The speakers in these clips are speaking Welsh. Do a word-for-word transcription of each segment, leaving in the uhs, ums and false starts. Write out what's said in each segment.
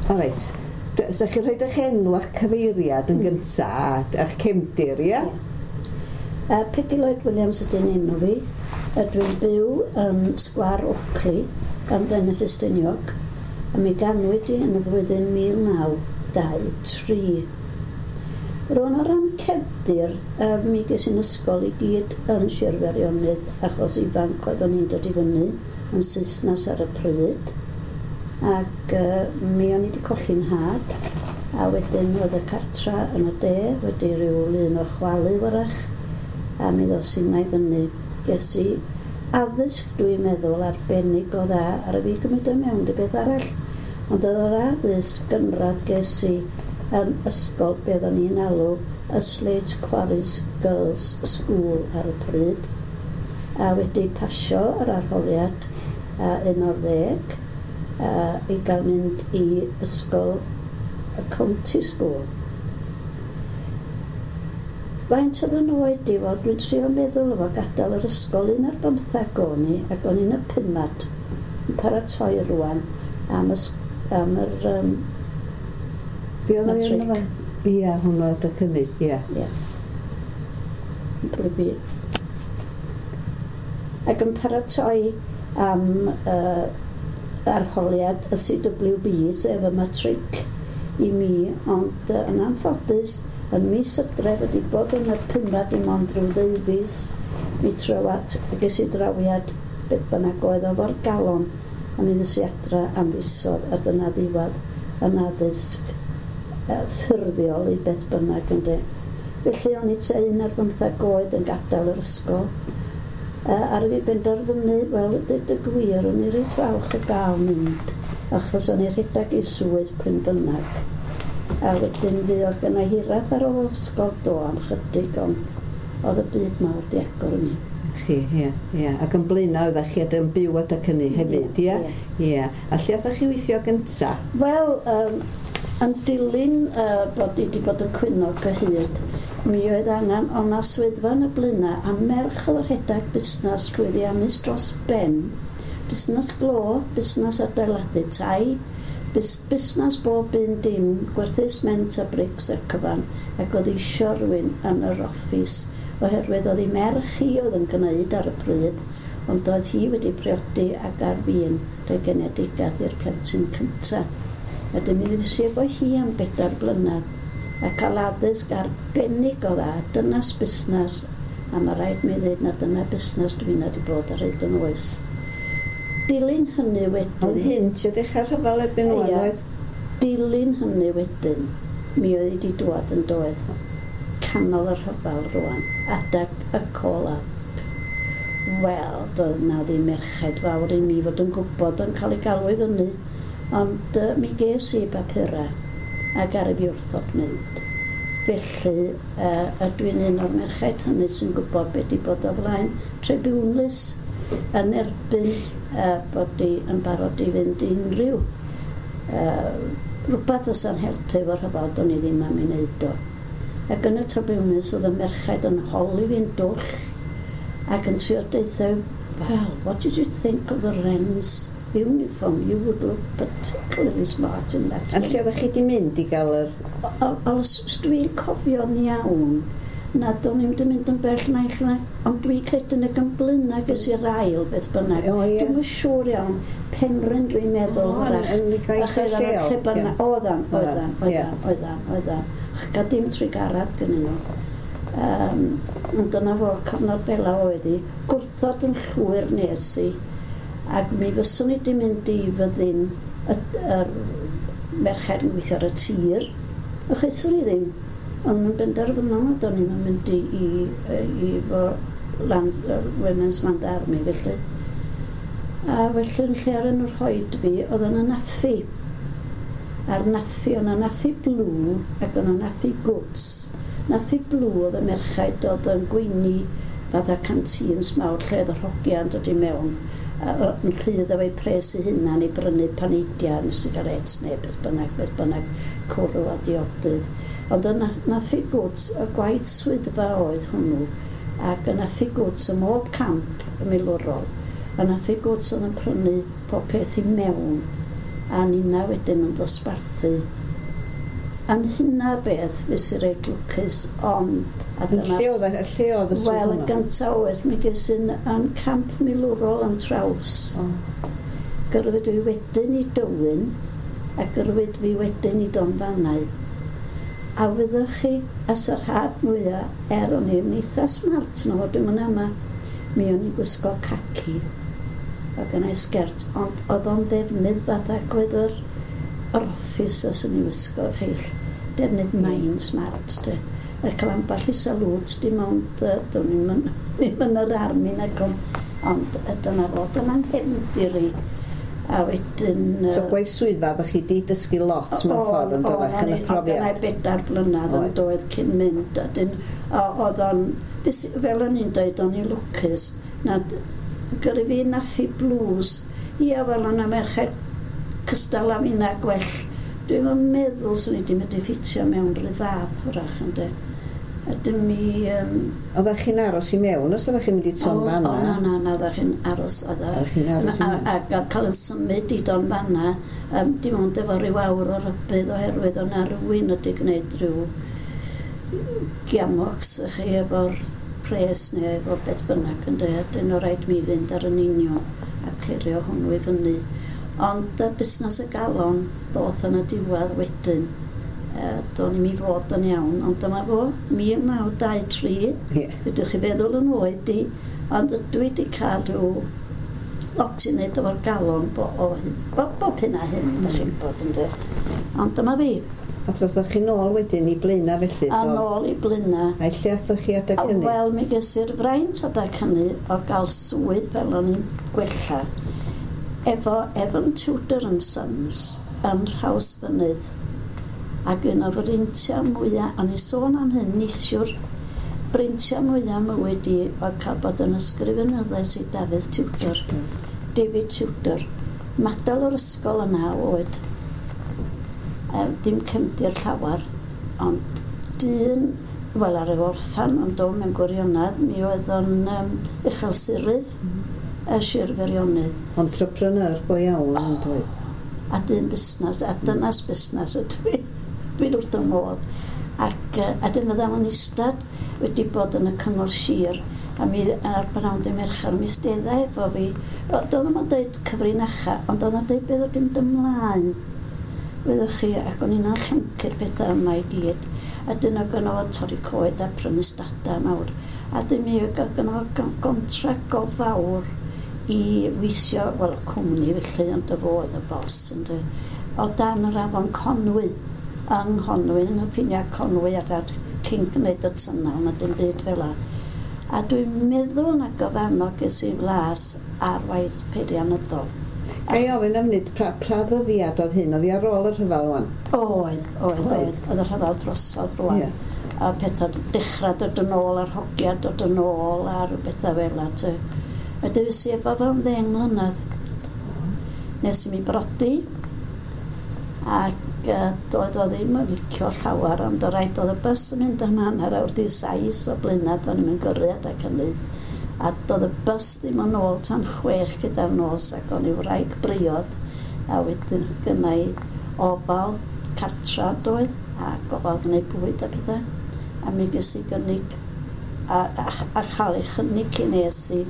O reit. Sa chi rhoi eich enw a'ch cyfeiriad yn gynta a a'ch cefndir, ia? Uh, Peggy Lloyd Williams ydy'n enw fi. Ydw i'n byw yn Sgwar Oakley yn Blaenau Ffestiniog. A mi ganwyd i yn y flwyddyn mil naw dau tri. Rwan, o ran cefndir, uh, mi ges i'n ysgol i gyd yn Sir Feirionnydd achos ifanc oeddwn i'n dod i fyny yn Saesnas ar y pryd. Ac uh, mi o'n i wedi colli'n nhad, a wedyn oedd y cartra yn y de wedi rhyw lun o chwalu wrach, a mi ddos i i fyny. Ges i addysg, dwi'n meddwl, arbennig o dda ar y fi gymryd o mewn dy beth arall. Ond oedd yr addysg gynradd ges i yn ysgol be oeddwn ni'n alw y Slate Quarries Girls School ar y pryd, a wedi pasio yr arholiad uh, un o'r ddeg uh, i gael mynd i ysgol y County School. Faint oedd yn oed i? Wel, dwi'n trio meddwl efo gadael yr ysgol un ar bymthag o'n i, ac o'n i'n y pumad yn paratoi rwan am, y, am yr um, Be oedd matric. O'n efo? Ia, hwnnw oedd y cynnig, ia. Ie. Yn Ac yn paratoi am uh, arholiad y C W B, sef y matric i mi, ond uh, yn anffodus, yn mis Hydref, wedi bod yn y pumad dim ond rhyw ddeufis, mi trywad, ges i drawiad beth bynnag oedd o fo'r galon, a mi ddes i adra am fisodd, a dyna ddiwedd yn addysg uh, ffurfiol i beth bynnag, ynddo. Felly o'n i tua un ar bymthag oed yn gadael yr ysgol. Uh, ar fi benderfynu, wel, dweud y gwir, o'n i reit falch o gael mynd, achos o'n i rhedeg i swydd pryn bynnag. A wedyn fi oedd gynna hiraeth ar ôl ysgol do am chydig, ond oedd y byd mawr di agor i mi. Chi, ie, ie. Ac yn Blaenau oeddech chi yn byw adeg hynny hefyd, ie? Ie. A lle oeddech chi weithio gynta? Wel, um, yn dilyn uh, bod i wedi bod yn cwyno cyhyd, mi oedd angen, o'n na swyddfa yn y Blaenau, a merch oedd rhedeg busnes llwyddiannus dros ben. Busnes glo, busnes adeiladu tai, bus, busnes bob un dim, gwerthu sment a brics a cyfan, ac oedd isio rhywun yn yr office, oherwydd oedd ei merch hi oedd yn gwneud ar y pryd, ond oedd hi wedi priodi ac ar fin rhoi genedigaeth i'r plentyn cyntaf. Wedyn mi fues i efo hi am bedair blynedd a cael addysg arbennig o dda, dynas busnes, a mae rhaid mi ddweud na dyna busnes dwi'n wedi bod ar hyd yn oes. Dilyn hynny wedyn. Oedd hyn tua dechrau'r rhyfel erbyn wan, Ie. oedd? Dilyn hynny wedyn, mi oedd hi wedi dwad yn doedd canol y rhyfel rwan, adag y call-up. Wel, doedd na ddim merched fawr i mi fod yn gwybod yn cael ei galw i fyny, ond uh, mi ges i bapurau ac ar y fi wrthod mynd. Felly, uh, ydw i'n un o'r merched hynny sy'n gwybod beth di bod o flaen tribiwnlys yn erbyn uh, bod i yn barod i fynd i unrhyw uh, rhywbeth fysa'n helpu efo'r rhyfel, do'n i ddim am ei wneud o. Ac yn y tribiwnlys oedd y merched yn holi fi'n dwll ac yn trio deutha, "Well, what did you think of the Wrens uniform? You would look particularly smart in that." A lle oeddech chi wedi mynd i gael yr? O- o- Os dwi'n cofio'n iawn, na do'n i'm 'di mynd yn bell naill na, ond dwi'n credu yn y Blaenau ges i'r ail beth bynnag. O, ie. Dwi'm yn siŵr iawn, Penrhyn dwi'n meddwl O, hwrach. yn ddigon Ach, oeddan nhw lleol, lle bynnag. ie. Oeddan, oeddan, Oeddan, ie. oeddan, oeddan, oeddan. Ach, gael dim trugaredd gynnyn nhw. Um, ond dyna fo, cyfnod fel oedd hi. Gwrthod yn llwyr nes i. Ac mi fyswn i wedi mynd i fyddin y, yr merched yn gweithio ar y tir. Achos i ddim. Ond yn benderfynol nad o'n i'n mynd i, i, i, i fo land, uh, Women's Land Army felly. A felly yn lle ar yn rhoid fi, oedd yn y NAAFI. A'r NAAFI, oedd yna NAAFI Blue ac oedd yna NAAFI Goods. NAAFI Blue oedd y merchaid oedd yn gweini fatha canteens mawr lle oedd yr hogiau'n dod i mewn a- o- yn rhydd efo'i pres ei hunan i brynu paneidiau neu sigaret neu beth bynnag, beth bynnag, cwrw a diodydd. Ond y Na- NAAFI Goods, y gwaith swyddfa oedd hwnnw, ac y NAAFI Goods ym mhob camp y milwrol, y NAAFI Goods oedd yn prynu pob peth i mewn. A nina wedyn yn dosbarthu. A'n hynna beth, fes i reit lwcus, ond... A dyna, lle oedd, lle oedd y swydd? Wel, yn gyntaf oes, mi ges i'n yn camp milwrol yn Traws. Oh. Gyrwyd fi wedyn i Dywyn, a gyrwyd fi wedyn i Donfanau. A wyddwch chi, as yr had mwyaf, er o'n i'n eitha smart na fod dwi'n mynd yma, mi o'n i'n gwisgo caci o gynna i sgert, ond oedd o'n ddefnydd fatha oedd yr, yr officers yn ei wisgo chill. Defnydd main smart, de. A cael ambell i salwt, dim ond, uh, do'n i'm yn, ddim yn yr army nag ond, ond dyna fo, dyna'n nghefndir i. A wedyn... So gwaith swyddfa, ddech chi di dysgu lot mewn ffordd yn dod yn y profiad? O, o'n bedair blynedd yn doedd cyn mynd. A dyn, oedd o'n, fel o'n i'n dweud, o'n i'n lwcus, na gyrru fi naffi blues. Ia, wel, o'n merched cystal a finna gwell. Dwi'm yn meddwl swn i wedi mynd i ffitio mewn rhyw fath wrach, ynddo. A dyn mi... Um, oeddech chi'n aros i mewn, os oeddech chi'n mynd i Tonfanna? O, na, na, na, oeddech chi'n aros. Oeddech chi'n aros i mewn. A, a, a cael yn symud i Donfanna, um, dim ond efo rhyw awr o rybudd oherwydd o'na rhywun wedi gwneud rhyw giamocs i chi efo'r pres neu efo beth bynnag, ynddo. Dyn o rhaid mi fynd ar yn union a clirio hwnnw i fyny. Ond uh, busnes y galon ddoth yn y diwedd wedyn. Uh, do'n i'm i fod yn iawn, ond dyma fo, mil naw dau tri, yeah. Ydych chi feddwl yn oed i, ond dwi wedi cael rhyw lot i wneud efo'r galon bo, o, bo, bob hyn a hyn, mm. Dych chi'n bod yn dweud. Ond dyma fi. Ac ddoth chi nôl wedyn i Blaena felly? A nôl i Blaena. A lle athoch chi adeg hynny? Wel, mi ges i'r fraint adeg hynny o gael swydd fel o'n i'n gwella efo Evan Tudor and Sons yn Nhrawsfynydd. Ac un o freintiau mwyaf, o'n i sôn am hyn neithiwr, breintiau mwyaf mywyd i oedd cael bod yn ysgrifenyddes i Dafydd Tudor, David Tudor. Madal o'r ysgol yna oed, e, dim cefndir llawer, ond dyn, wel ar ei orffan, ond o'n mewn gwirionedd, mi oedd o'n um, uchel siryf, mm. y Sir Feirionnydd. Entrepreneur go iawn, oh, yn dweud. A dyn busnes, a dynas busnes ydw i. Dwi'n wrth y modd. Ac a dyn fydda o'n eistedd wedi bod yn y cyngor sir, a mi ar bnawn dy Mercher, mi stedda efo fi. Doedd o'm yn dweud cyfrinacha, ond oedd o'n dweud beth oedd mynd ymlaen. Wyddwch chi, ac o'n i'n llyncu'r pethau yma i gyd. A dyna gynno fo torri coed a prynu stadau mawr. A dyn mi gynno fo gontract go fawr i weithio, wel, cwmni felly, ond y fo oedd y bos, ynddo. O dan yr afon Conwy, yng Nghonwy, yn y ffiniau Conwy, a dad cyn gwneud y tynnal, na dim byd fel 'a. A dwi'n meddwl na gofano ges i flas ar waith peirianyddol. Ga i ofyn am nid, pra, pra ddyddiad oedd hyn, oedd hi ar ôl y rhyfel rwan? Oedd, oedd, oedd. Oedd y rhyfel drosodd rwan. Yeah. A pethau dechrau dod yn ôl, a'r hogiau dod yn ôl, a rhyw bethau fel 'a. A dwi si efo fo am ddeng mlynedd. Nes i mi brodi, ac doedd o ddim yn licio llawer, ond o rhaid oedd y bws yn mynd am hanner awr di saith o Blaenau, do'n i'm yn gyrru adeg hynny. A doedd y bws ddim yn ôl tan chwech gyda'r nos, ac o'n i wraig briod, a wedyn gynna i ofal cartra doedd, a gofal gwneud bwyd a pethau. A mi ges i gynnig, a, a, a chael ei chynnig cyn nes i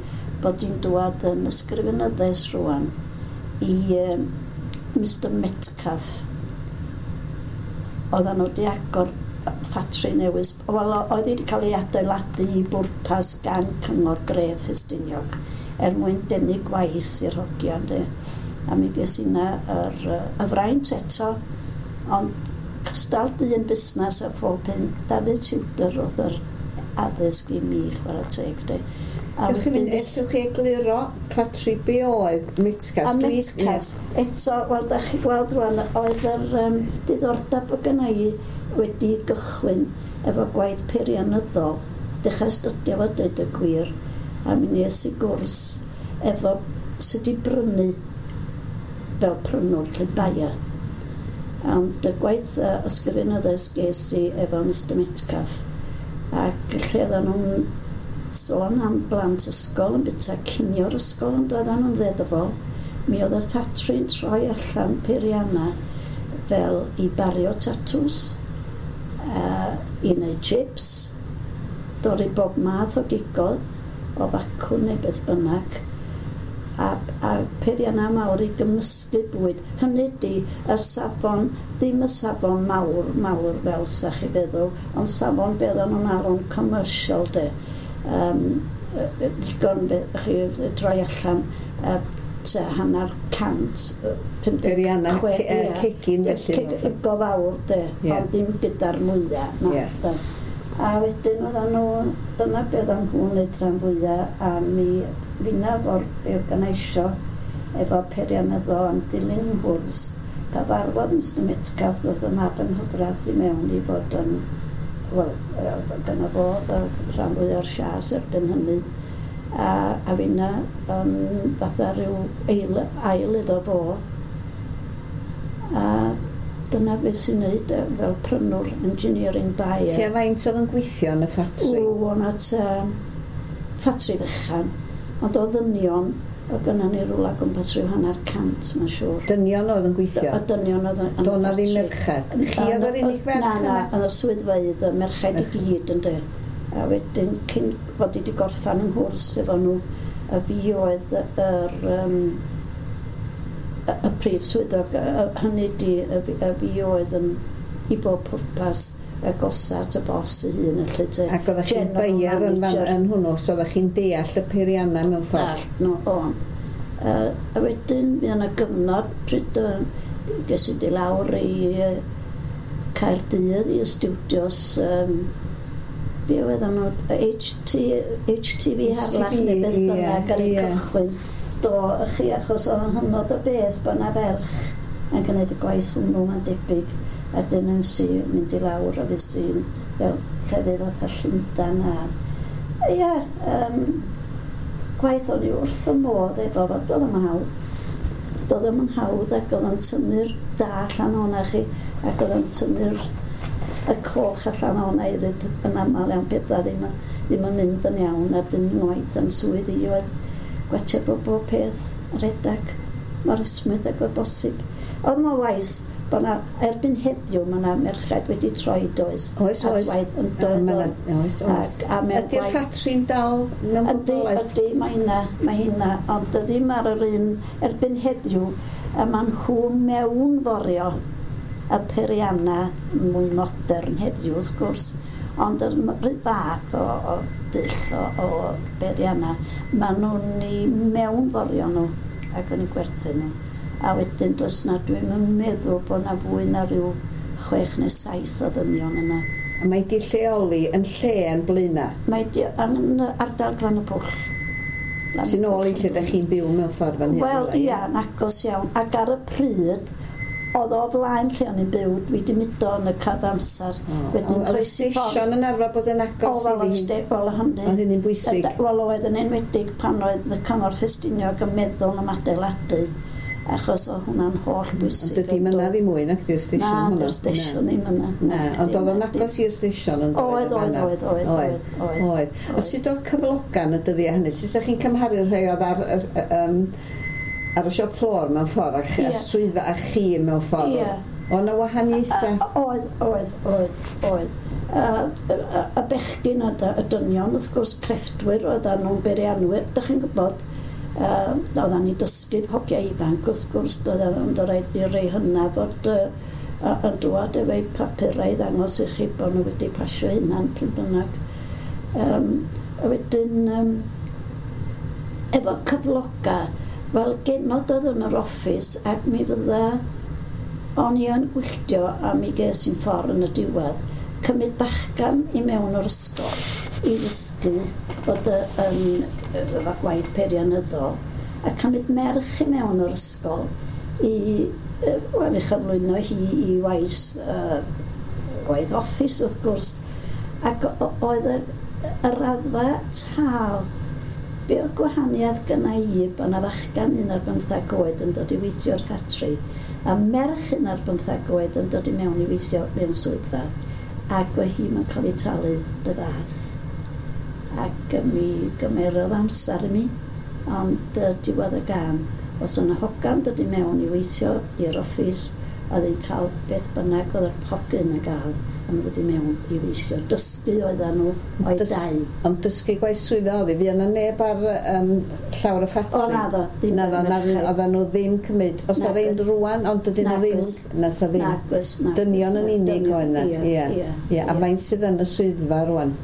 bod i'n dwad yn ysgrifenyddes rwan i um, Mister Metcalf. Oedden nhw wedi agor ffatri newydd. Wel, oedd wedi cael ei adeiladu i bwrpas gan Cyngor Dref Ffestiniog er mwyn denu gwaith i'r hogia, ynddi. A mi ges i na yr, y fraint eto, ond cystal dyn busnes a phob hyn, Dafydd Tudor oedd yr addysg i mi, chwarae teg, de. A wedyn... Ellwch chi egluro ffatri be oedd Metcalf? A Metcalf, eto, wel, da chi gweld rwan, oedd yr um, diddordeb o gynna i wedi gychwyn efo gwaith peirianyddol. Dechrau astudio fo, deud y gwir, a mi nes i gwrs efo sut i brynu fel prynwr lle baia. Ond y gwaith uh, ysgrifenyddes ges i efo Mister Metcalf, ac lle oedden nhw'n sôn am blant ysgol yn byta cinio'r ysgol, ond oedden nhw'n ddeddfol, Mi oedd y ffatri'n troi allan peirianna fel i bario tatws, uh, i wneud chips, dorri bob math o gigodd, o facwn neu beth bynnag, a, a peirianna mawr i gymysgu bwyd. Hynny ydi, y safon, ddim y safon mawr, mawr fel sa chi feddwl, ond safon beth o'n nhw'n alw'n commercial de. Um, digon fe, chi droi allan uh, tua hanner cant, pum deg Peirianna chwe, ce- yy, ie. cegin felly, Ceg- mewn ffordd. Go fawr de, Ie. ond dim gyda'r mwyaf. Na, Ie. de. A wedyn oedden nhw, dyna beth o'n nhw'n neud rhan fwyaf, a mi finna fo'r organiseio efo peirianyddol am dilyn nghwrs. Cyfarfod Mister Metcalf, ddoth y mab yng nghyfraith i mewn i fod yn, wel, gyda fo oedd y rhan fwyaf o'r siars erbyn hynny. A, a finna um, fatha rhyw eil, ail iddo fo. A dyna beth sy'n neud e, fel prynwr engineering buyer. Tua faint oedd yn gweithio yn y ffatri? O, o'na tua ffatri fechan, ond o ddynion, o gynna ni rwla gwmpas rhyw hanner cant, mae'n siŵr. Dynion oedd yn gweithio? Y dynion oedd yn y Do' 'na ddim ffatri. merched? Chi oedd yr unig ferch Na, na, yna? yn y swyddfeydd, y merched i gyd yn de. A wedyn, cyn fod i wedi gorffan yng nghwrs efo nhw, y fi oedd yr, um, y, y prif swyddog, y- y- hynny di, y, fi- y fi oedd yn i bob pwrpas y gosa at y bos ei hun, felly te. Ac oeddech chi'n General buyer yn, fan, manager. yn hwnnw, so oeddech chi'n deall y peiriannau mewn ffordd? Dallt nhw, o'n. Uh, a wedyn, mi yna gyfnod pryd uh, ges i di lawr i uh, Caerdydd i y studios, um, be oedd nhw, H T, H T V Harlech neu beth Ie, bynnag ar ei ie. cychwyn. Do, y chi, achos oedd yn hynod o beth bod 'na ferch yn gwneud y gwaith hwnnw, mae'n debyg. A dyn yn si mynd i lawr a fi sy'n fel llefydd fatha Llundan a... Ie, um, gwaith o'n i wrth y modd efo fo, doedd o'm yn hawdd. Doedd o'm yn hawdd ac oedd o'n tynnu'r da allan o'na chi ac oedd o'n tynnu'r y coch allan o'na hefyd yn aml iawn pethau ddim, yn- ddim yn mynd yn iawn a dyn ngwaith am swydd i oedd gwatio bod bob peth yn redag mor esmwyth ag oedd bosib. Oedd yna waith bod na, erbyn heddiw mae yna merched wedi troi does. Oes, at oes. waith yn A dod ma' 'na- Oes, oes. Ac, a mewn Ydy'r gwaith- ffatri'n dal mewn Ydy, bodolaeth? ydy, mae hynna, mae hynna, ond ddim ar yr un erbyn heddiw, a maen nhw mewnforio y peirianna mwy modern heddiw, wrth gwrs, ond yr rhyw fath o, o dull o, o beirianna, maen nhw'n i mewnforio nhw ac yn eu gwerthu nhw. A wedyn does na, dwi'n yn meddwl bod na fwy na rhyw chwech neu saith o ddynion yna. A mae di lleoli yn lle yn Blaena? Mae di yn ardal Glan y Pwll. Glan y Sy'n ôl i Pwll lle yn da chi'n byw mewn ffordd fan hyn? Wel, rywle, ia, yn agos iawn. Ac ar y pryd, oedd o flaen lle o'n i'n byw, dwi wedi mudo yn y cyfamser. O, Wedyn Oedd y croesi ffordd. stesion yn arfer bod yn O, agos wel, iddi oedd hi? ste- wel, hynny. Oedd hynny'n bwysig? Wel, oedd yn enwedig pan oedd y Cyngor Ffestiniog yn meddwl am adeiladu, achos oedd hwnna'n holl bwysig. Ond dydy myna ddim mwy nac di'r stesion Na, hwnnw? dy'r stesion ddim yna. Na, ond oedd o'n agos i'r stesion yn Oedd, oedd, oedd, oedd, oedd, oedd. Oedd. O sut oedd cyflogan y dyddiau hynny? Sut ydych chi'n cymharu'r rhai oedd ar, ar, um, ar y shop floor mewn ffordd a, ch- Ie. a swyddfa a chi mewn ffordd? Ie. O na wahaniaethau? Oedd, oedd, oedd, oedd. Y, y, y bechgyn a dy- y dynion, wrth gwrs, crefftwyr oedden nhw'n beirianwyr, dych chi'n gwybod, uh, oedden ni dysgu hogiau ifanc, wrth gwrs, doedden nhw'n rhaid i rei hynna fod uh, yn dŵad efo'u papurau i ddangos i chi bod nhw wedi pasio hynna'n pryd bynnag. Um, a wedyn, um, efo cyfloga, wel, genod oedd yn yr office ac mi fydda o'n i yn gwylltio a mi ges i'n ffordd yn y diwedd cymryd bachgan i mewn o'r ysgol i ddysgu bod y, yn efo gwaith peirianyddol a cymryd merch i mewn o'r ysgol i yy, wel, i chyflwyno hi i waith uh, waith office wrth gwrs ac o- oedd y, y raddfa tal. Be oedd gwahaniaeth gynna i bod 'na fachgan un ar bymthag oed yn dod i weithio o'r ffatri a merch un ar bymthag oed yn dod i mewn i weithio mewn swyddfa ac oedd hi'n cael ei talu dy fath ac yy, mi gymerodd amser i mi ond uh, diwedd y gan Os yna hogan dod i mewn i weithio i'r office, oedd hi'n cael beth bynnag oedd yr hogyn yn gael am ddod i mewn i weithio. Dysgu oedden nhw o'i Dys- dau. Ond dysgu gwaith swyddfa oedd hi, fi yna neb ar um, llawr y ffatri. O, naddo, ddim Naddo, yn na, merched. oedden nhw ddim cymryd. Os ar ein Nag- rwan, ond dydyn nhw ddim. Nagoes. Na, sa ddim. Nagoes, nagoes. Dynion yn unig Dynion, oedd yna. Ie, Ie, ie, ie. A faint sydd yn y swyddfa rwan?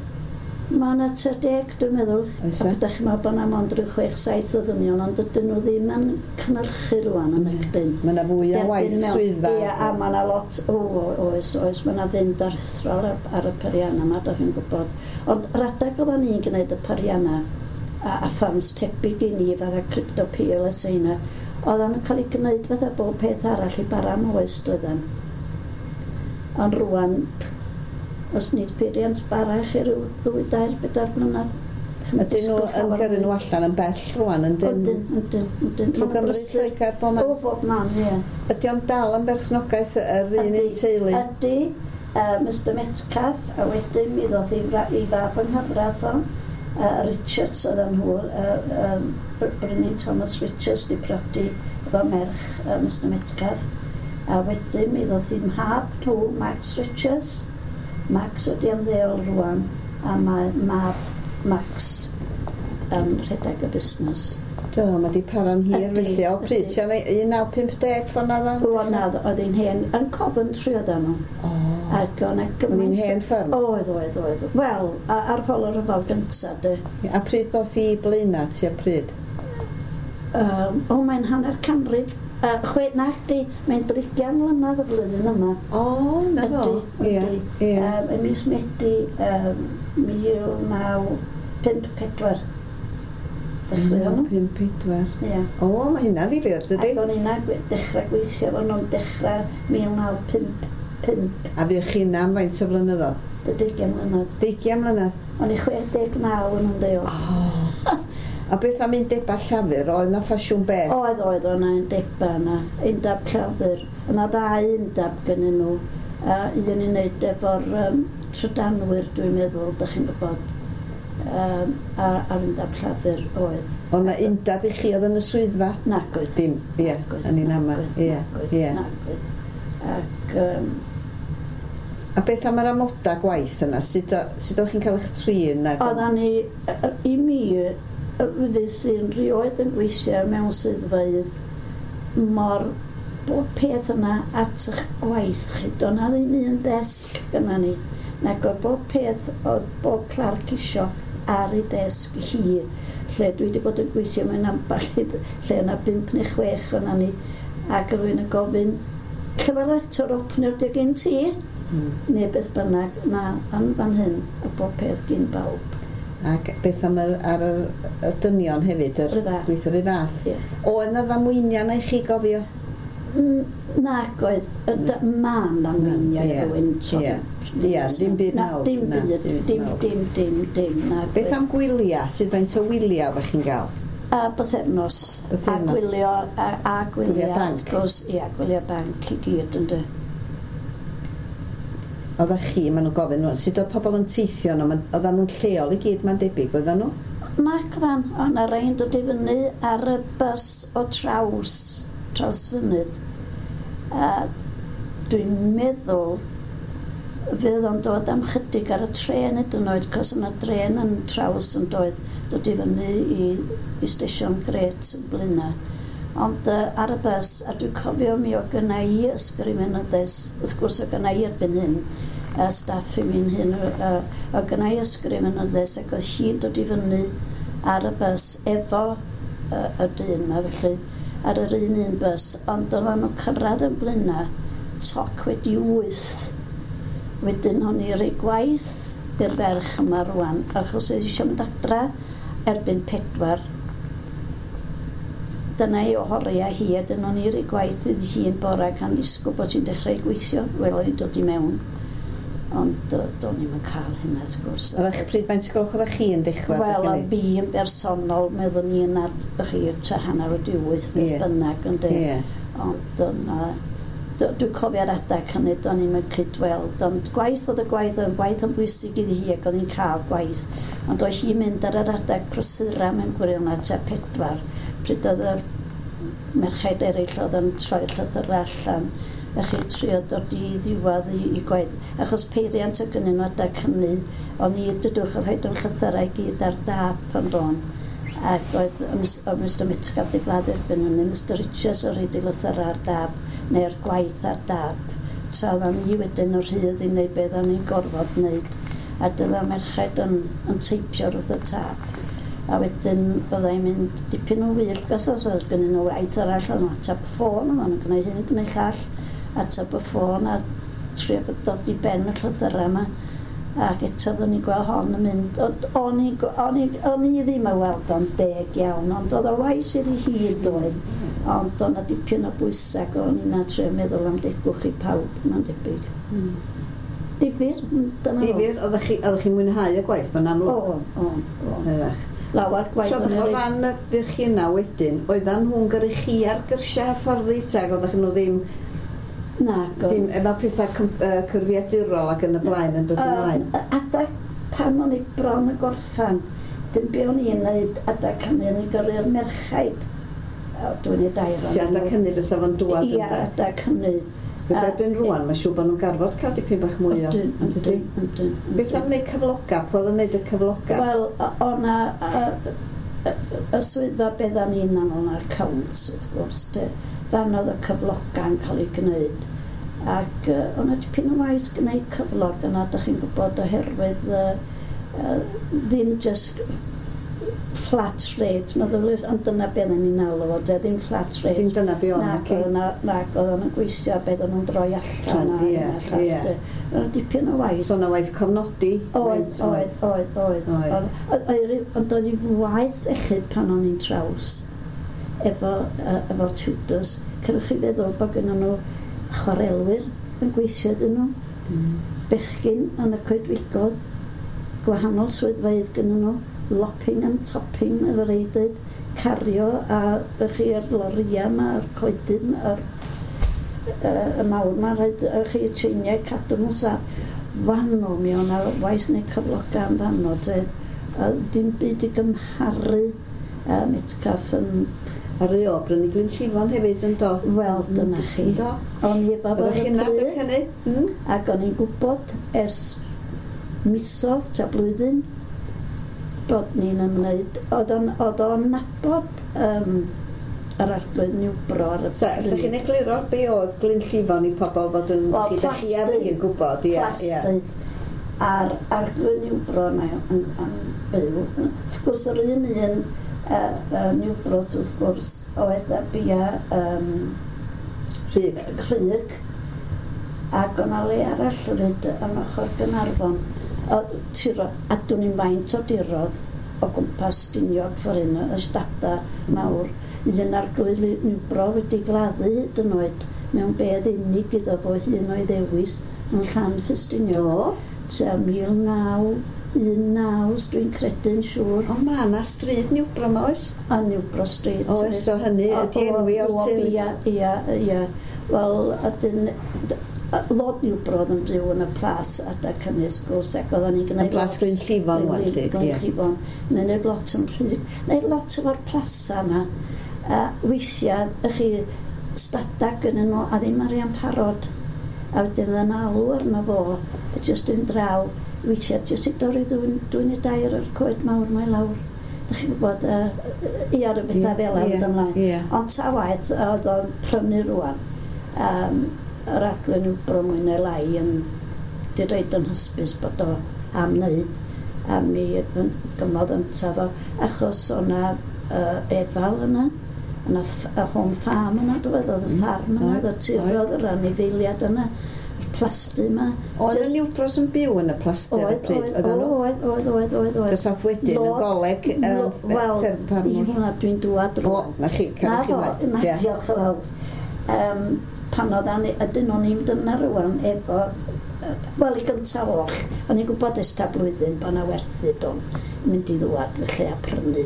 Mae yna tua deg, dwi'n meddwl. Oes A e? ydych chi'n meddwl bod yna mond rhyw chwech, saith o ddynion, ond dydyn nhw ddim yn cynhyrchu rwan yn ygdyn. Mae yna fwy o waith Derbyn mewn- swyddfa. Ie, a mae yna lot, o, o, oes, oes, mae yna fynd arthrol ar, ar y perianna yma, dach chi'n gwybod. Ond yr adeg oedden ni'n gwneud y perianna, a, a ffams tebyg i ni, fatha Crypto P L S yna, oedden nhw'n cael ei gwneud fatha bob peth arall i bara am oes, doedden. Ond rwan, os nid peiriant bara chi ryw ddwy, dair, bedair blynedd. Ydyn nhw yn gyrru nhw allan yn bell rwan, yn dyn? Ydyn, ydyn, ydyn. Trwy Gymru, Lloegr, bob man? O, bob man, ie. Ydy o'n dal yn berchnogaeth yr un un Ydy, teulu? Ydy, uh, Mister Metcalf, a wedyn mi ddoth i, fra- i fab yng nghyfraith o, uh, Richards oedden nhw, uh, um, Bryni Thomas Richards di prodi efo merch uh, Mister Metcalf. A wedyn mi ddoth i mhab nhw, Max Richards. Max ydi ymddeol rwan, a mae mab Max yn rhedeg y busnes. Do, mae di para'n hir Ydy, felly. O, pryd, ydy. ti'n un naw pump deg ffordd na dda? O, na, oedd hi'n hen, yn Coventry oedden nhw. O, Ac o'n oedd hi'n gymaint... hen fferm? Oedd, oedd, oedd. Wel, a- ar ôl y rhyfel gyntaf, de. A pryd ddoth i Blaenau, ti a pryd? Um, o, mae'n hanner canrif. Uh, chwe, nac di, mae'n drigian mlynedd y flwyddyn yma. O, na fo. Ydy, Ie, ydy. ie. Um, ym mis Medi um, mil naw pump pedwar. Dechreuon nhw. Pump pedwar. Ie. O, mae hynna'n ddifyr, dydy? Ac o'n i'n dechrau gweithio efo nhw'n dechrau mil naw pump pump, A fuoch chi'n am faint o flynyddoedd? deugain mlynedd. Deugain mlynedd? O'n i chwe deg naw yn ymddeol. O. A beth am undebau llafur? Oedd na ffasiwn beth? Oedd, oedd, o'na undeba yna, undeb llafur. Yna ddau undeb gynnyn nhw. Uh, un i wneud efo'r um, trydanwyr, dwi'n meddwl, dych chi'n gwybod. Um, a'r, a'r undeb llafur oedd. Oedd na undeb i chi oedd yn y swyddfa? Nag oedd. Dim, ie, Nag oedd, yn un ama, nag oedd, ie, nag oedd, ie. Nag oedd. Ac um, A beth am yr amodau gwaith yna? Sut, o- sut o'ch chi'n cael eich trin? Ag... oeddan ni, yy, i mi, yy, fues i'n rioed yn gweithio mewn swyddfeydd mor bob peth yna at eich gwaith chi. Doedd na ddim un ddesg gynna ni. Nag oedd bob peth oedd bob clerc isio ar ei desg hi. Lle dwi wedi bod yn gweithio mewn ambell i lle yna bump neu chwech o'na ni. Ac rwy'n yn gofyn, llyfr letter opener di gen ti? Mm. Neu beth bynnag, na, yn fan hyn, y bob peth gyn bawb. Ac beth am yr, ar yr, y dynion hefyd? Yr R'un fath. Gweithio r'un fath. Ie. Oedd na ddamweiniau na i chi gofio? Mm, Nag oedd, y d- ma'n ddamweiniau Ie, rhywun. ie. Ie, dim byd Na, mawr, dim na, byd, dim byd dim, mawr. dim, dim, dim. nag Beth oedd. am gwyliau? Sut faint o wyliau oeddech chi'n gael? A bythefnos. A Bythefnos. gwylio, a, a gwylio, Gwyliau banc. wrth gwrs, ie, gwylio banc i gyd, ynddo. Oeddech chi, maen nhw'n gofyn rŵan, sut oedd pobl yn teithio yno? Ma- Oedden nhw'n lleol i gyd, mae'n debyg, oedden nhw? Nac oeddan, oedd 'na rei'n dod i fyny ar y bws o traws, traws fynydd. A dwi'n meddwl fydd o'n dod am chydig ar y tren hyd yn oed, cos yna dren yn traws yn doedd, dod i fyny i, i stesion Gret yn Blaenau. Ond uh, ar y bws, a dwi'n cofio mi o gynna i ysgrifenyddes, wrth gwrs o gynna i erbyn hyn, uh, staff i mi'n hyn, uh, o gynna i ysgrifenyddes, ac oedd hi'n dod i fyny ar y bws efo uh, y dyn yma, felly, ar yr un un bws, ond oedden nhw cyrraedd yn Blaenau, toc wedi wyth. Wedyn o'n i roi gwaith i'r ferch yma rwan, achos oedd eisiau mynd adra erbyn pedwar. Dyna i ohoriau hi, a dyn o'n i roi gwaith iddi hi'n bora gan ddisgwyl bod hi'n dechrau gweithio. Wel, o'n i'n dod i mewn, ond uh, do'n i'm yn cael hynna, wrth gwrs. Oeddech pryd faint o gloch oeddech chi yn dechrau? Wel, a adeg hynny? fi yn bersonol, meddwn i yn ar chi, tua hanner wedi wyth, beth Ie. bynnag, ynde. Ie. Ond yna, dwi'n cofio'r adeg hynny, do'n i'm yn cydweld, ond gwaith oedd y gwaith, oedd y gwaith yn bwysig iddi hi ac oedd hi'n cael gwaith. Ond oedd hi'n mynd ar yr adeg prysura mewn gwirionedd tua pedwar, pryd oedd yr merched eraill oedd yn troi'r llythyrau allan. A chi trio dod i ddiwedd i, i gwaith. Achos peiriant o gynnyn nhw adag hynny, o'n i dydwch yn rhaid yn llythyrau i gyd ar dap yn don. Ac oedd o Mister Metcalf di gladdu erbyn hynny, Mister Richards o rhaid i lythyrau ar dap, neu'r gwaith ar dap. Tra oedden ni wedyn o'r rhydd i wneud beth o'n i'n gorfod wneud. A dyna merched yn, yn teipio wrth y tap. A wedyn byddai'n mynd dipyn o wyllt gas os oedd gennyn nhw waith arall, o'n ateb y ffôn, o'n nhw'n gwneud hyn, gwneud llall, ateb y ffôn a trio dod i ben y llythyrau yma. Ac eto oeddwn i'n gweld hon yn mynd, o'n i, o'n i, o'n i ddim yn weld o'n deg iawn, ond oedd o waith iddi hi doedd. Ond oedd 'na dipyn o bwysau ac o'n i'n trio meddwl am degwch i pawb, mae'n debyg. Mm. Difyr, dyna fo. Difyr, oeddech chi, oeddech chi'n mwynhau y gwaith, mae'n amlwg? O, o, o. Oeddech. Lawer gwaith So, o'n i o reit- ran y bych chi yna wedyn, oeddan nhw'n gyrru chi ar gyrsiau hyfforddi, teg, oeddech nhw ddim, Na, go. dim efo pethau cym-, yy, cyfrifiadurol ac yn y blaen yn dod ymlaen? Yym, adag pan o'n i bron y gorffan, dim be o'n i'n neud adag hynny, o'n i'n gyrru'r merchaid. O, dwi'n ei dair Ti adag hynny fysa fo'n dŵad Ia, ynde? adag hynny. Fysa erbyn rŵan, mae'n siŵr bod nhw'n garfod cael dipyn bach mwy o... Ydyn, Yndydi? ydyn, ydyn, ydyn. Beth am wneud cyfloga? Pwy oedd yn wneud y cyfloga? Wel, o- o'na y, y, y swyddfa beth o'n i'n aml na'r accounts, wrth gwrs, de. Fan oedd y cyfloga'n cael ei gwneud. Ac uh, o'na dipyn o waith gwneud cyflog yna, dych chi'n gwybod, oherwydd uh, uh, ddim just flat rate, meddyliwch, ond dyna beth o'n i'n alw fo, de, ddim flat rate. Dim dyna be o'n, Nag naci? oedd na, nag oedd o'n gweithio beth o'n nhw'n droi allan a Ie, hyn a llall, ie. de. O'na dipyn o waith. So o'na waith cofnodi? Oedd, oedd, oedd, oedd. Oedd. Oedd, oedd, oedd, ond oedd i waith felly pan o'n i'n traws efo, uh, efo tutors. Cerwch chi feddwl bod gynnon nhw chwarelwyr yn gweithio iddyn nhw, Mm. bechgyn yn y coedwigodd, gwahanol swyddfeydd gynnon nhw, lopping and topping, efo rei dweud, cario a ych chi yr loria yma, yr coedyn, yr yy, y mawr yma, rhaid ych chi y tseiniau cadw nhw'n saff. Fanno, mi o'na waith neu cyfloga am fanno, te. A dim byd i gymharu uh, Metcalf yn, A rei o brynu Glynllifon hefyd yn do? wel, dyna chi. Yndo? O'n i efo fo Oeddech ar y chi'n adeg pryd, hynny? Mm? ac o'n i'n gwybod ers misoedd ta blwyddyn bod ni'n ymwneud. Oedd o'n, oedd o'n nabod um, yr arglwydd Newbro ar y So, sa chi'n egluro be oedd Glynllifon i pobl fod yn... Wel, chi, dach chi a fi yn gwybod, ie, ie. Plasty a'r arglwydd Newbro yna yn, yn byw. Wrth gwrs, yr un un uh, uh, Newbros, wrth gwrs, oedd y bia um, Rhyg. Rhyg, ac o'na le arall hefyd yn ochr Gaernarfon. O, tiro, a dwn i'n faint o dirodd o gwmpas Stiniog ffordd hyn, y stada mawr. Un arglwydd Newbro wedi gladdu hyd yn oed mewn bedd unig iddo fo hun o'i ddewis yn Llan Ffestiniog. Do. Tua mil naw un naw, os dwi'n credu'n siŵr. O, ma' 'na stryd Newbro 'ma, oes? A Newbro Street. Oes, so hynny O, ydi enwi o'r o, teulu. Ia, ia, ia. Wel, ydyn, d- Lord Newbro oedd yn byw yn y plas adag hynny, wrth gwrs, ac oedden ni'n gwneud Y plas lot- Glynllifon wan, lly, ie. Glynllifon. Neu wneud lot yn rhy... Neu lot efo'r plasa yma. A weithiau, ych chi, stada gynnyn nhw, a ddim arian parod. A wedyn oedd yn alw arno fo, a jyst yn draw, weithiau, jyst i dorri dwyn, dwyn i dair o'r coed mawr mae lawr. Dych chi'n gwybod, uh, ia, rhyw bethau fel Ie, yna ymlaen. ie. Ond ta waith, oedd o'n prynu rwan. Um, yr arglwydd Newbro mwy neu lai yn di roed yn hysbys bod o am wneud a mi gymodd yntaf o achos o'na uh, efal yna yna y home farm yna doedd oedd y Mm, ffarm yna oedd, oedd y tirodd yr anifeiliad yna yr plasty yma Oedd y Jyst- Newbros yn byw yn y plasty ar y oedd, pryd? oedd, Oedden nhw? oedd, oedd, oedd, oedd, oedd. Gysath wedyn yn Lord- goleg yy, Lo- Wel, fferm i ffarmwr. hwnna dwi'n dŵad O, rwan. na chi, Na cerwch chi fo, ymlaen. na, Ie. diolch yn fawr. Um, pan oedd ani, ydyn o'n i'n dyna rwan efo, yy, wel i gyntaf oll, o'n i'n gwybod ers ta blwyddyn bod 'na werthu don mynd i ddŵad felly a prynu.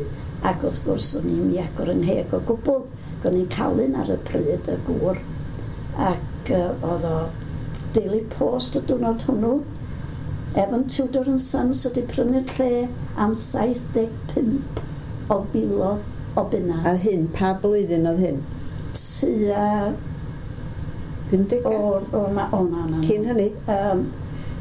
Ac wrth gwrs o'n i'n mi agor yn heg o gwbl, ac o'n i'n calun ar y pryd y gŵr. Ac uh, oedd o Daily Post y diwrnod hwnnw, Evan Tudor and Sons wedi prynu'r lle am saith deg pump o filoedd o bunna. Ar hyn, pa blwyddyn oedd hyn? Tua... pumdegau? O, o, na, o, na, na. Cyn hynny? Um,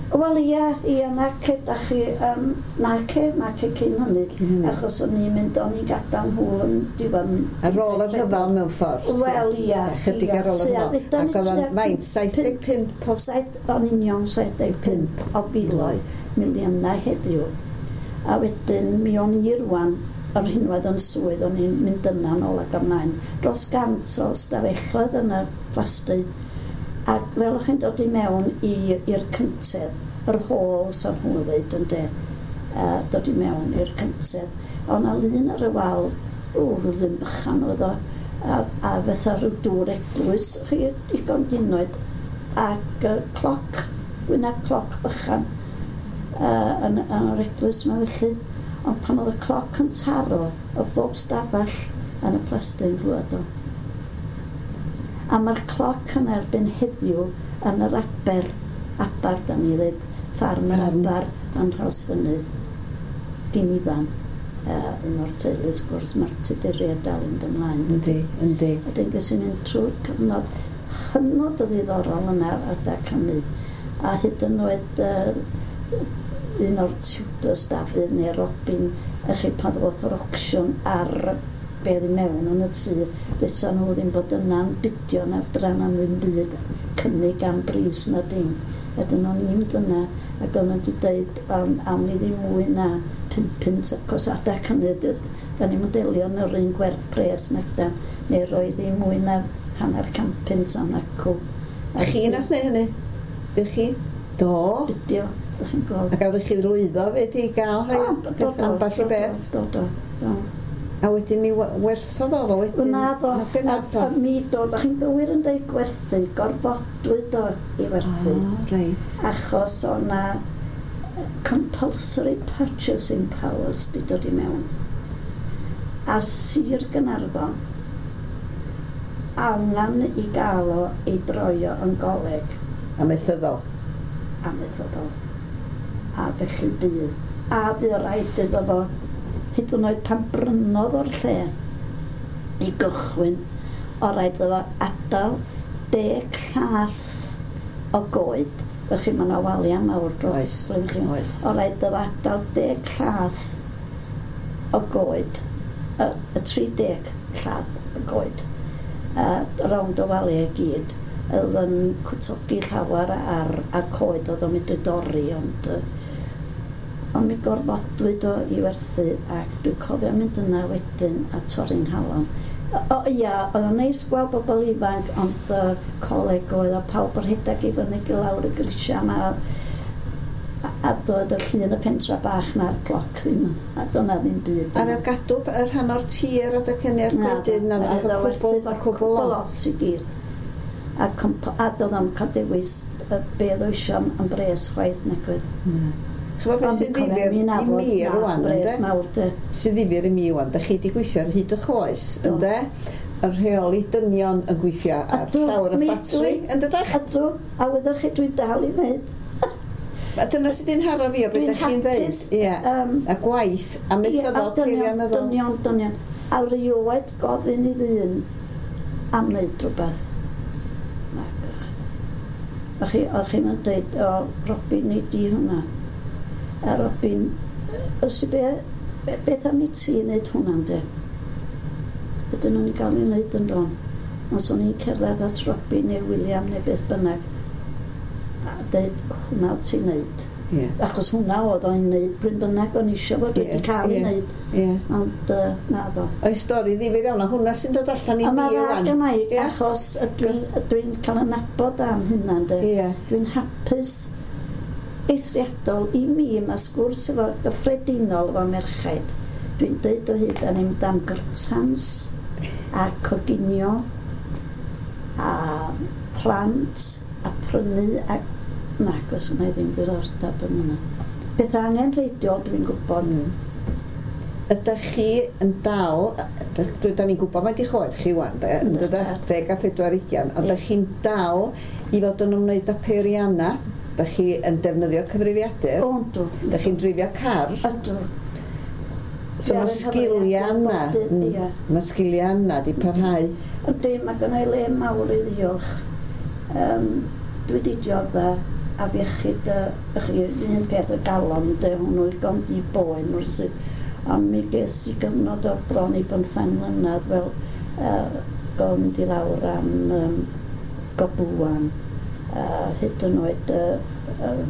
Wel, ia, ia, nace, da chi, um, nace, nace cyn hynny. Cyn hynny. Achos o'n i'n mynd, o'n i'n gadael nhw yn diwedd... Ar ôl y rhyfel mewn ffordd? Wel, ia. Chydig ar ôl y rhyfel. Ac oedd o'n faint, saith deg pump o... Saith, o'n union saith deg pump o biloedd, miliynau heddiw. A wedyn, mi o'n i rwan, yr hinwedd yn swydd, o'n i'n mynd yna nôl ac ymlaen. Dros gant o stafelloedd yn y plasty. Ac fel o'ch chi'n dod i mewn i'r cyntedd, yr hôl sa'n nhw'n dweud yn de, uh, dod i mewn i'r cyntedd. O'n na lun ar y wal, o, rhyw lun bychan oedd o, a, a fatha rhyw dŵr eglwys, chi digon dinoed, ac uh, cloc, gwyneb cloc bychan uh, yn, yn yr eglwys yma felly. Ond pan oedd y cloc yn taro, o bob stafell yn y plasty yn glwad o. A mae'r cloc yn erbyn heddiw yn yr aber, aber, da ni ddweud, ffarm yr aber yn Nhrawsfynydd, gyn Ifan, uh, un o'r teulu, wrth gwrs, mae'r Tuduriaid dal yn mynd ymlaen. Yndi, yndi. Wedyn ges i'n mynd trwy'r cyfnod hynod o ddiddorol yna ar adag hynny. A hyd yn oed uh, un o'r Tudors, Dafydd neu Robin, ych chi pan ddoth o'r auction ar be oedd i mewn yn y tŷ, deusa nhw ddim bod yna'n bidio na'r dran am ddim byd, cynnig am bris na dim. Wedyn o'n i'n mynd yna ac o'n nhw wedi dweud am, am ni ddim mwy na pump punt, achos adag hynny, da ni'n delio yn yr un gwerth pres nac dan, neu roi ddim mwy na hanner can punt am acw. A chi nath wneud hynny? Bych chi? Do. Bidio, ydych chi'n gweld. A gael chi lwyddo fyd i gael rhai ambell i beth? Do, do, do. A wedyn mi werthodd o wedyn? Na ddo, a, a mi do, da chi'n gywir yn dweud gwerthu, gorfodwyd o i werthu. Oh, reit. Achos o na compulsory purchasing powers di dod i mewn. A Sir Gaernarfon angen i gael o ei droio yn goleg. Amaethyddol. Amaethyddol. A felly bu. A bu rhaid iddo fo hyd yn oed pan brynodd o'r lle i gychwyn, o rhaid iddo fo adael deg llath o goed. Felly mae yna waliau mawr dros. Oes, oes. O rhaid iddo fo adael deg llath o goed, y, y tri deg llath o goed, a rownd o waliau i gyd. Oedd yn cwtogi llawer ar, ar coed oedd o'n mynd i dorri, ond... Ond mi gorfodwyd o i werthu ac dwi'n cofio mynd yna wedyn a torri'n nghalon. O, o ia, oedd o'n neis gweld bobl ifanc, ond uh, coleg oedd a pawb o'r rhedeg i fyny i lawr y grisiau yma. A, a doedd y llun y pentra bach na'r cloc ddim, a doedd ddim byd. A fel gadw y rhan o'r tir adag hynny a'r gwledydd na, a cwbl, cwbl lot i gyd. A, a doedd o'n cael dewis be oedd o eisiau am, am bres chwaith nag oedd. Mm. Ch'mod beth sy'n ddifyr i mi rwan, ynde? Sy'n ddifyr i mi rwan, da chi wedi gweithio ar hyd eich oes, ynde? Y rheoli dynion yn gweithio ar llawr y ffatri, yn dydach? Ydw, a wyddoch chi dwi'n dal i wneud. A dyna sydd yn haro fi o beth ydych chi'n dweud. Ie, a gwaith, a methyddol, peirianyddol. Dynion, dynion. A rioed gofyn i ddyn am wneud rhywbeth. Nagwch. A chi, o'ch chi'n dweud, o, Robin, nei di hwnna. A Robin, os ti be, beth am i ti wneud hwnna, de? Ydyn nhw'n gael ei wneud yn don. Ond so ni'n cerdded at Robin neu William neu beth bynnag a dweud, hwnna o ti'n wneud. Yeah. Achos hwnna oedd o'n wneud, bryn bynnag o'n eisiau fod wedi yeah, cael ei yeah, wneud. Yeah. Ond uh, na ddo. Oes stori ddifyr iawn, a hwnna sy'n dod allan i mi A rwan. mae dda gynna i, yeah. achos dwi'n dwi cael yn nabod am hynna, de. Yeah. Dwi'n hapus eithriadol i mi, mae sgwrs efo gyffredinol efo merchaid. Dwi'n dweud o hyd, a ni'n mynd am gyrtans a coginio a plant a prynu a nag oes wna i ddim diddordeb yn hynna. Beth angenrheidiol dwi'n gwybod. Mm. Ydych chi yn dal, da ni'n gwybod mae di choed chi wan, de, yn dydach, deg a phedwar ugian, ond ydych chi'n dal i fod yn ymwneud â peirianna, ydych chi yn defnyddio cyfrifiadur, O, yndw. Ydych chi'n dreifio car. Ydw. So mae'r sgiliau yna, mae'r sgiliau yna di parhau. Yndi, mae gynna i le mawr i ddiolch. Um, dwi wedi diodda afiechyd, uh, chi, un peth y galon, de, hwnnw i gond i boen wrth. Ond mi ges i gyfnod o bron i bymthang mlynedd fel uh, gond i lawr am um, gobwan, uh, hyd yn oed uh, uh,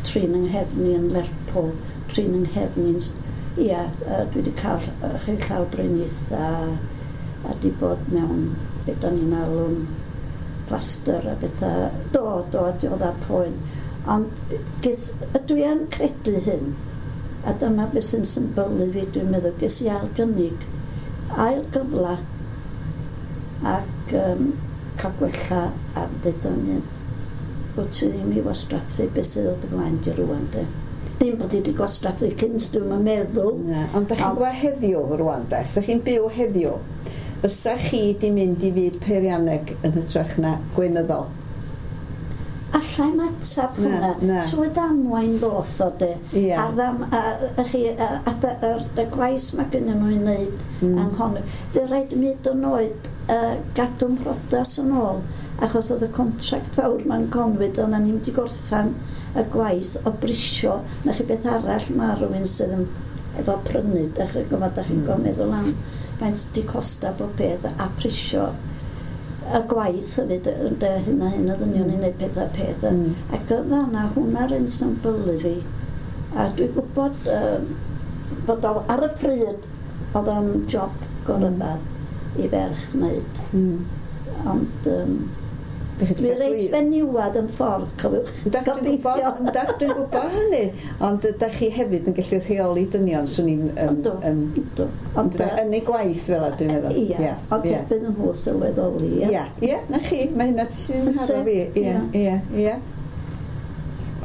trin yng nghefni yn Lerpwl, trin yng nghefni yn... Ia, uh, dwi wedi cael uh, chi llawdriniaeth a, a di bod mewn be da ni'n alw'n plaster a bethau. Do, do, a diodda poen. Ond ges, dwi yn credu hyn, a dyma beth sy'n symbylu fi, dwi'n meddwl, ges i ail gynnig, ail gyfla, ac um, cael gwella a deutha ni, wyt ti ddim i wastraffu beth sydd o dy flaen di rŵan, de. Ddim bod i wedi gwastraffu cynt, dwi'n meddwl. Na, ond da chi'n gweld heddiw rŵan, de? Sa chi'n byw heddiw, fysa chi di mynd i fyd peirianneg yn hytrach na gweinyddol? Alla i'm atab hwnna. Trwy ddamwain ddoth o de. Yeah. A'r ddam, a, a, chi, a, a, a, y gwaith mae gynnu nhw i wneud mm. anghonio. Dy rhaid i mi hyd yn oed uh, gadw mhrodas yn ôl, achos oedd y contract fawr ma'n Conwy, oedden ni'n mynd i gorffan y gwaith o brisio, na chi beth arall mae rhywun sydd yn efo prynu, da chi'n gwybod, da chi'n mm. meddwl am faint di costa bob peth a prisio y gwaith hefyd, ynde, hyn a hyn o ddynion i wneud peth a peth. Mm. Ac yn fanna, hwnna'r un symbylu fi. A dwi'n gwybod uh, bod o ar y pryd oedd o'n job goryfedd i ferch wneud. Mm. Ond um, dwi reit fenywad yn ffordd, cofiwch. Gobeithio. Yndach, dwi'n gwybod hynny. Ond ydach chi hefyd yn gallu rheoli dynion, swn i'n... Yndw, yndw. Ond yn ei gwaith fel a, dwi'n meddwl. Ia, ond erbyn nhw sylweddoli. Ia, ia, na chi, mae hynna sy'n haro fi. Ia, ia, ia.